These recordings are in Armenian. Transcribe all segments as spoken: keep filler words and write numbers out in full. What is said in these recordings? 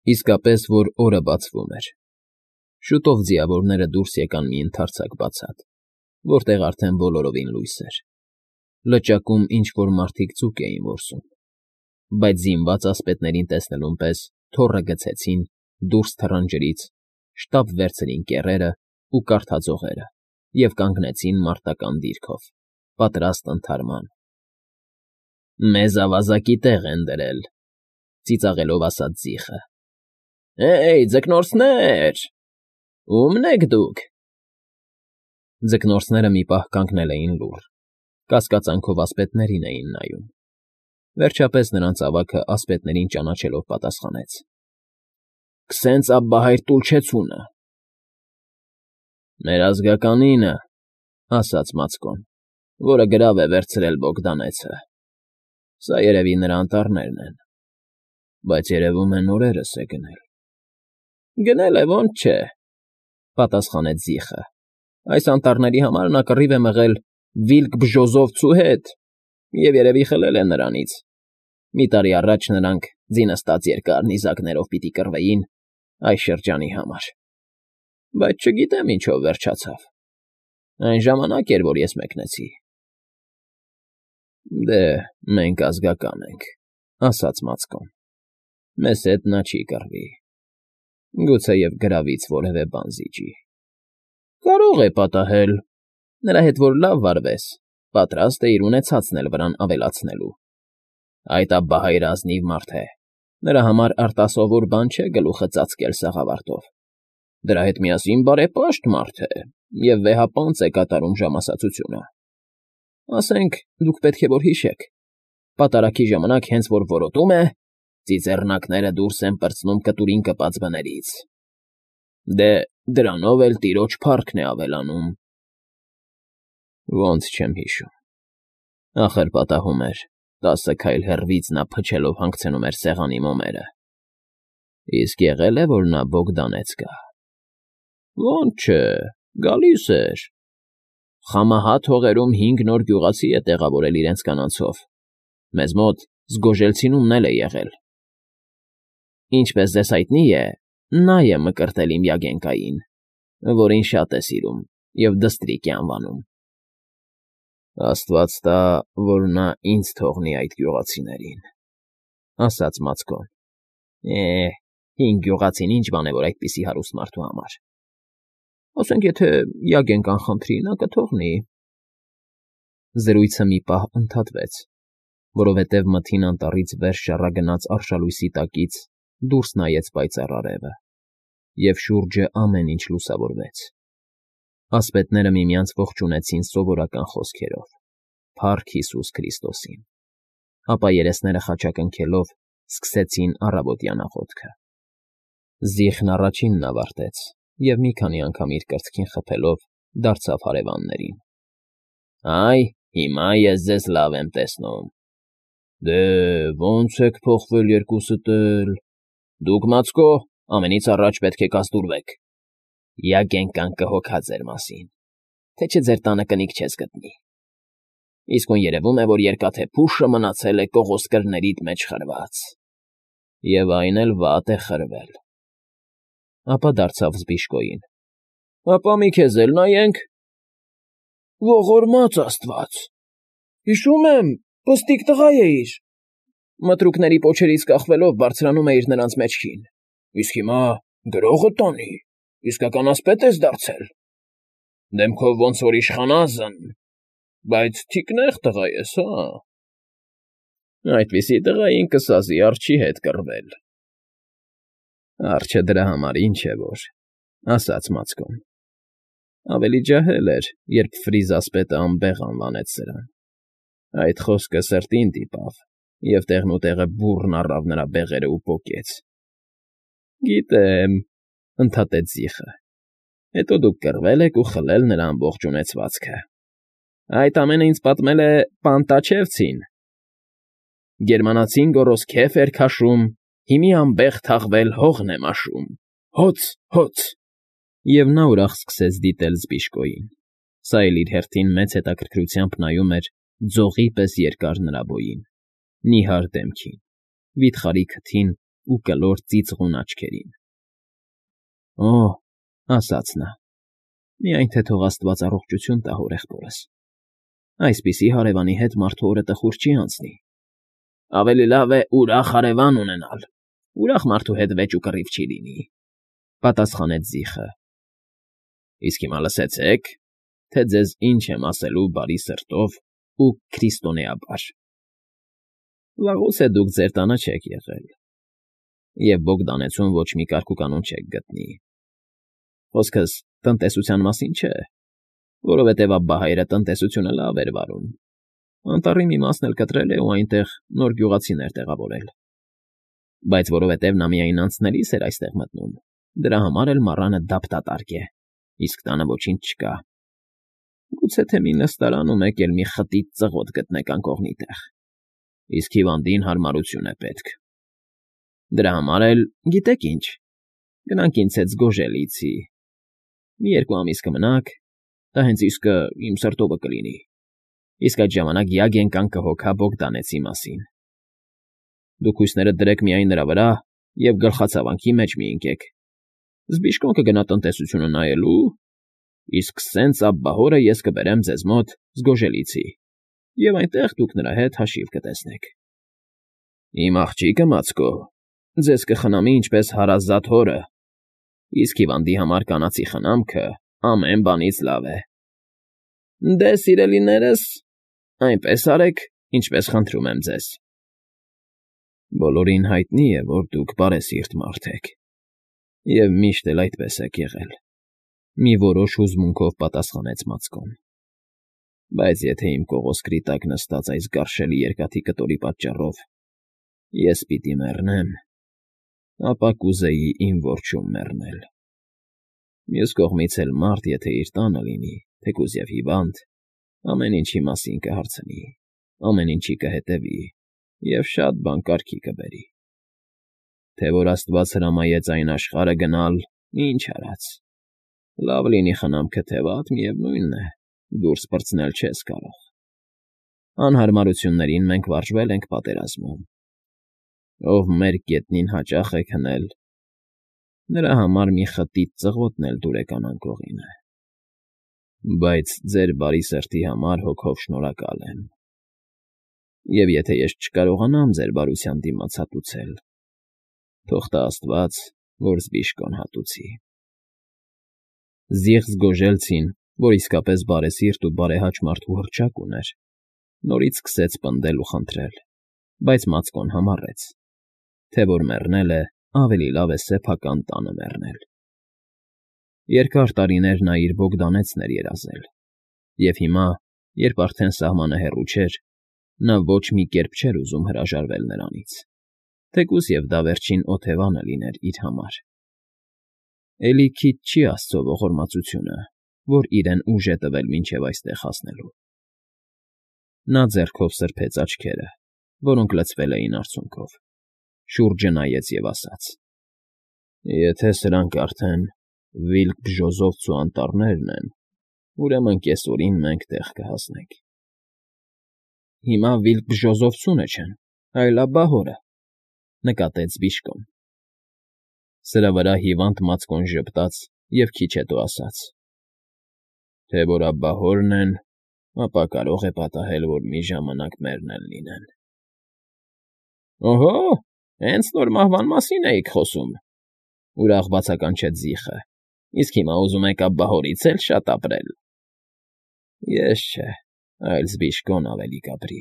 Իսկապես որ օրը բացվում էր։ Շուտով ձիավորները դուրս եկան մի ընդարձակ բացատ, որտեղ արդեն բոլորովին լույս էր. լճակում ինչ֊որ մարդիկ ձուկ էին որսում, բայց զինված ասպետներին տեսնելուն պես թոռը գցեցին, դուրս թռան ջրից, շտապ վերցրին կեռերն ու կարդաձողերը և կանգնեցին մարտական դիրքով, պատրաստ ընդհարման։ ֊ Մեզ ավազակի տեղ են դրել,֊ ծիծաղելով ասաց Զիխը։ Հե՜յ, ձկնորսներ… Ո՞ւմն եք դուք… Ձկնորսները մի պահ կանգնել էին լուռ, կասկածանքով ասպետներին էին նայում, վերջապես նրանց ավագն ասպետներին ճանաչելով պատասխանեց. ֊ Քսենց աբբահայր Տուլչեցունը։ ֊ Մեր ազգականինը,֊ ասաց Մացկոն, որը գրավ է վերցրել Բոգդանեցը. սա երևի նրա անտառներն են, բայց երևում է նորերս է գնել։ ֊ Գնել է, ոնց չէ,֊ պատասխանեց Զիխը։ Այս անտառների համար նա կռիվ է մղել Վիլկ-Բժոզովցու հետ և երևի խլել է նրանից. մի տարի առաջ նրանք ձինստած երկար նիզակներով պիտի կռվեին այս շրջանի համար, բայց չգիտեմ ինչով վերջացավ. այն ժամանակ էր, որ ես մեկնեցի։ ֊ Դե, մենք ազգական ենք,֊ ասաց Մացկոն,֊ մեզ հետ նա չի կռվի, գուցեև գրավից որևէ բան զիջի։ ֊ Կարող է պատահել, նրա հետ որ լավ վարվես, պատրաստ է իր ունեցածն էլ վրան ավելացնելու։ Այդ աբբահայրը ազնիվ մարդ է, նրա համար արտասովոր բան չէ գլուխը ծածկել սաղավարտով, դրա հետ միասին բարեպաշտ մարդ է և վեհապանծ է կատարում ժամասացությունը։ Ասենք, դուք պետք է որ հիշեք, պատարագի ժամանակ հենց որ որոտում է, ծիծեռնակները դուրս են պրծնում կտուրին կպած բներից։ Դե, դրանով էլ տիրոջ փառքն է ավելանում։ ֊ Ոնց չեմ հիշում… Ախր պատահում էր, տասը քայլ հեռվից նա փչելով հանգցնում էր սեղանի մոմերը։ Իսկ եղե՞լ է, որ նա Բոգդանեց գա։ ֊ Ոնց չէ, գալիս էր… Խամահատ հողերում հինգ նոր գյուղացի է տեղավորել իրենց կանանցով, մեզ մոտ Զգոժելցինումն էլ է եղել։ ֊ Ինչպես ձեզ հայտնի է, նա է մկրտել իմ Յագենկային, որին շատ է սիրում և Դստրիկ է անվանում։ ֊ Աստված տա, որ նա ինձ թողնի այդ գյուղացիներին,֊ ասաց Մացկոն։ ֊ Է՜, հինգ գյուղացին ինչ բան է, որ այդպիսի հարուստ մարդու համար… Ասենք եթե Յագենկան խնդրի, նա կթողնի… Զրույցը մի պահ ընդհատվեց, որովհետև մթին անտառից վեր շառագնաց արշալույսի տակից դուրս նայեց պայծառ արևը, և շուրջը ամեն ինչ լուսավորվեց։ Ասպետները միմյանց ողջունեցին սովորական խոսքերով. «Փա՜ռք Հիսուս Քրիստոսին», ապա երեսները խաչակնքելով սկսեցին առավոտյան աղոթքը։ Զիխն առաջինն ավարտեց և մի քանի անգամ իր կրծքին խփելով դարձավ հարևաններին. ֊ Այ, հիմա ես ձեզ լավ եմ տեսնում։ ֊ Դե, ո՞նց եք փոխվել երկուսդ էլ… Դուք, Մացկո, ամենից առաջ պետք է կազդուրվեք… Յագենկան կհոգա ձեր մասին, թե չէ ձեր տանը կնիկ չես գտնի… Իսկույն երևում է, որ երկաթե փուշը մնացել է կողոսկրներիդ մեջ խրված… Եվ այն էլ վատ է խրվել… Ապա դարձավ Զբիշկոյին. ֊ Հապա մի քեզ էլ նայենք… Ողորմած աստված… Հիշում եմ, պստիկ տղա էիր… Մտրուկների պոչերից կախվելով բարձրանում էիր նրանց մեջքին, իսկ հիմա գրողը տանի, իսկական ասպետ ես դարձել… Դեմքով ոնց որ իշխանազն… Բայց թիկնեղ տղա ես, հա… Այդպիսի տղային կսազի արջի հետ կռվել… ֊ Արջը դրա համար ինչ է որ…֊ ասաց Մացկոն։ Ավելի ջահել էր, երբ Ֆրիզ ասպետը անբեղ անվանեց սրան… Այդ խոսքը սրտին դիպավ, և տեղնուտեղը բուռն առավ նրա բեղերն ու պոկեց։ ֊ Գիտեմ,֊ ընդհատեց Զիխը,֊ հետո դուք կռվել եք ու խլել նրա ամբողջ ունեցվածքը… Այդ ամենը ինձ պատմել է Պանտաչևցին… Գերմանացին գոռոզ քեֆ էր քաշում, հիմի անբեղ թաղվել հողն է մաշում… Հոց, հոց… Եվ նա ուրախ սկսեց դիտել Զբիշկոյին, սա էլ իր հերթին մեծ հետաքրքրությամբ նայում էր ձողի պես երկար նրա բոյին, նիհար դեմքին, վիթխարի քթին ու կլոր ծիծաղուն աչքերին։ Օ՜, ասաց նա, միայն թե թող աստված առողջություն տա հորեղբորս, այսպիսի հարևանի հետ մարդու օրը տխուր չի անցնի։ Ավելի լավ է ուրախ հարևան ունենալ, ուրախ մարդու հետ վեճ ու կռիվ չի լինի, պատասխանեց Զիխը։ Իսկ հիմա լսեցեք, թե ձեզ ինչ եմ ասելու բարի սրտով ու քրիստոնեաբար։ Վաղուց է դուք ձեր տանը չեք եղել, և Բոգդանեցում ոչ մի կարգուկանոն չեք գտնի։ Խոսքս տնտեսության մասին չէ, որովհետև Աբբահայրը տնտեսությունը լավ էր վարում, անտառի մի մասն էլ կտրել է ու այնտեղ նոր գյուղացիներ տեղավորել, բայց որովհետև նա միայն անցնելիս էր այստեղ մտնում, դրա համար էլ մառանը դափտատարկ է, իսկ տանը ոչինչ չկա։ Գուցե թե մի նստարան ու մեկ էլ մի խտիտ ծղոտ գտնեք անկողնի տեղ, իսկ հիվանդին հարմարություն է պետք։ Դրա համար էլ, գիտեք ինչ, գնանք ինձ հետ Զգոժելիցի, մի երկու ամիս կմնաք, դա հենց իսկը իմ սրտովը կլինի, իսկ այդ ժամանակ Յագենկան կհոգա Բոգդանեցի մասին։ Դուք հույսներդ դրեք միայն նրա վրա և գլխացավանքի մեջ մի ընկեք։ Զբիշկոն կգնա տնտեսությունը նայելու, իսկ սենց Աբբահորը ես կբերեմ ձեզ մոտ Զգոժելիցի, և այնտեղ դուք նրա հետ հաշիվ կտեսնեք։ Իմ աղջիկը Մացկո ձեզ կխնամի ինչպես հարազատ հորը, իսկ հիվանդի համար կանացի խնամքը ամեն բանից լավ է։ Դե, սիրելիներս, այնպես արեք, ինչպես խնդրում եմ ձեզ։ Բոլորին հայտնի է, որ դուք բարեսիրտ մարդ եք, և միշտ էլ այդպես եք եղել, մի որոշ հուզմունքով պատասխանեց Մացկոն։ Բայց եթե իմ կողոսկրի տակ նստած այս գարշելի երկաթի կտորի պատճառով ես պիտի մեռնեմ, ապա կուզեի իմ որջում մեռնել։ Մյուս կողմից էլ մարդ, եթե իր տանը լինի, թեկուզ և հիվանդ, ամեն ինչի մասին կհարցնի, ամեն ինչի կհետևի և շատ բան կարգի կբերի։ Թե որ աստված հրամայեց այն աշխարհը գնալ, ինչ արած, լավ լինի խնամքը թե վատ, միևնույն է, դուրս պրծնել չես կարող։ Անհարմարություններին մենք վարժվել ենք պատերազմում։ Ով մեր գետնին հաճախ է քնել, նրա համար մի խտիտ ծղոտն էլ դուրեկան անկողին է։ Բայց ձեր բարի սրտի համար հոգով շնորհակալ եմ։ Եվ եթե ես չկարողանամ ձեր բարության դիմաց հատուցել, թող տա աստված, որ Զբիշկոն հատուցի։ Զիղ Զգոժելցին, որ իսկապես բարեսիրտ ու բարեհաճ մարդու հռչակ ուներ, նորից սկսեց պնդել ու խնդրել, բայց Մացկոն համառեց, թե որ մեռնել է, ավելի լավ է սեփական տանը մեռնել։ Երկար տարիներ նա իր Բոգդանեցն էր երազել, և հիմա, երբ արդեն սահմանը հեռու չէր, նա ոչ մի կերպ չէր ուզում հրաժարվել նրանից, թեկուզ և դա վերջին օթևանը լիներ իր համար։ Էլի քիչ չի աստծո ողորմածությունը, որ իրեն ուժ է տվել մինչև այստեղ հասնելու։ Նա ձեռքով սրբեց աչքերը, որոնք լցվել էին արցունքով, շուրջը նայեց և ասաց. Եթե սրանք արդեն Վիլկ֊Բժոզովցու անտառներն են, ուրեմն կեսօրին մենք տեղ կհասնենք։ Հիմա Վիլկ֊Բժոզովցունը չեն, այլ Աբբահորը, նկատեց Զբիշկոն։ Սրա վրա հիվանդ Մացկոն ժպտաց և քիչ հետո ասաց. Թե որ Աբբահորն են, ապա կարող է պատահել, որ մի ժամանակ մերն էլ լինեն։ Օհո, հենց նոր մահվան մասին էիք խոսում, ուրախ բացականչեց Զիխը, իսկ հիմա ուզում եք Աբբահորից էլ շատ ապրել։ Ես չէ, այլ Զբիշկոն ավելի կապրի։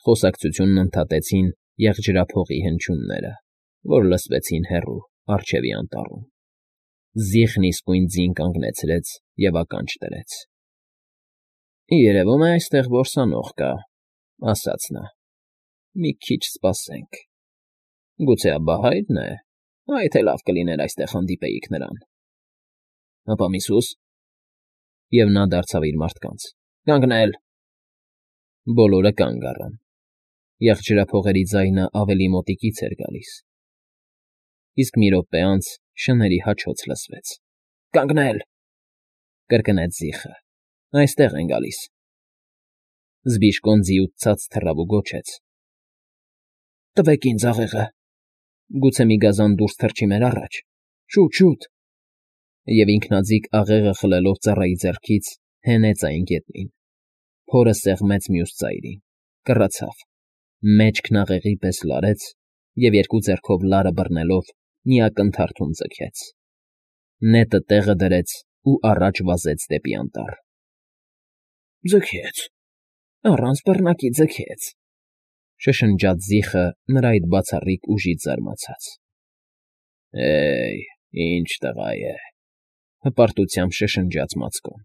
Խոսակցությունն ընդհատեցին եղջրափողի հնչյունները, որ լսվեցին հեռու, առջևի անտառում։ Զիխն իսկույն ձին կանգնեցրեց և ականջ դրեց։ Երևում է այստեղ որսանող կա, ասաց նա։ Մի քիչ սպասենք։ Գուցե Աբբահա՞յրն է, այ թե լավ կլիներ այստեղ հանդիպեիք նրան։ Հապա միսուս։ Եվ նա դարձավ իր մարդկանց. Կանգնել։ Բոլորը կանգ առան։ Եղջրափողերի ձայնը ավելի մոտիկից էր գալիս։ Իսկ մի րոպե անց շների հաչոց լսվեց։ Կանգնել, կրկնեց Զիխը։ Այստեղ են գալիս։ Զբիշկոն ձիուց ցած թռավ ու գոչեց. Տվեք ինձ աղեղը։ Գուցե մի գազան դուրս թռչի մեր առաջ։ Շուտ, շուտ։ Եվ ինքնաձիգ աղեղը խլելով ծառայի ձեռքից հենեց այն գետնին։ Փորը սեղմեց մյուս ծայրին, կռացավ, մեջքն աղեղի պես լարեց և երկու ձեռքով լարը բռնելով մի ակնթարթում ձգեց։ Նետը տեղը դրեց ու առաջ վազեց դեպի անտառ։ Ձգեց, առանց բռնակի ձգեց,֊ շշնջաց զիխը նրա այդ բացառիկ ուժից զարմացած։ Հե՜յ, ինչ տղա է,֊ հպարտությամբ շշնջաց Մածկոն։